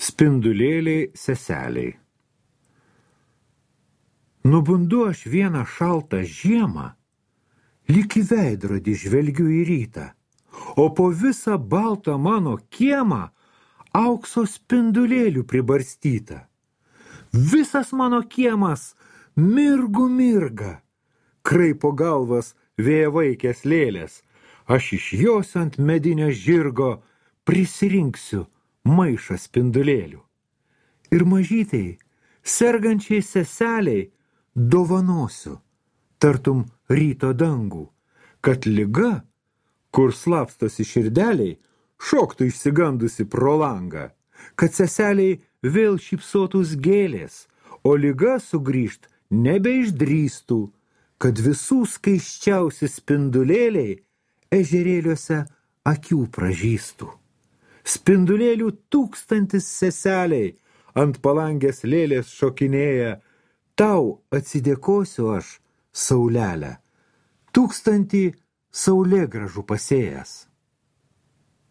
Spindulėliai seseliai. Nubundu aš vieną šaltą žiemą, lyg į veidrodį žvelgiu į rytą, o po visą baltą mano kiemą aukso spindulėlių pribarstyta. Visas mano kiemas mirgu mirga, kraipo galvas vėjavaikės lėlės, aš išjosiu ant medinio žirgo, prisirinksiu maišą spindulėlių. Ir mažytei, sergančiai seseliai dovanosiu, tartum ryto dangų, kad liga, kur slapstosi širdeliai, šoktų išsigandusi pro langą, kad seseliai vėl šypsotųs gėlės, o liga sugrįžt nebeišdrįstų, kad visų skaisčiausi spindulėliai ežerėliuose akių pražystų. Spindulėlių 1000 seseliai ant palangės lėlės šokinėja, tau atsidėkosiu aš, saulelę, 1000 saulėgražų pasėjęs.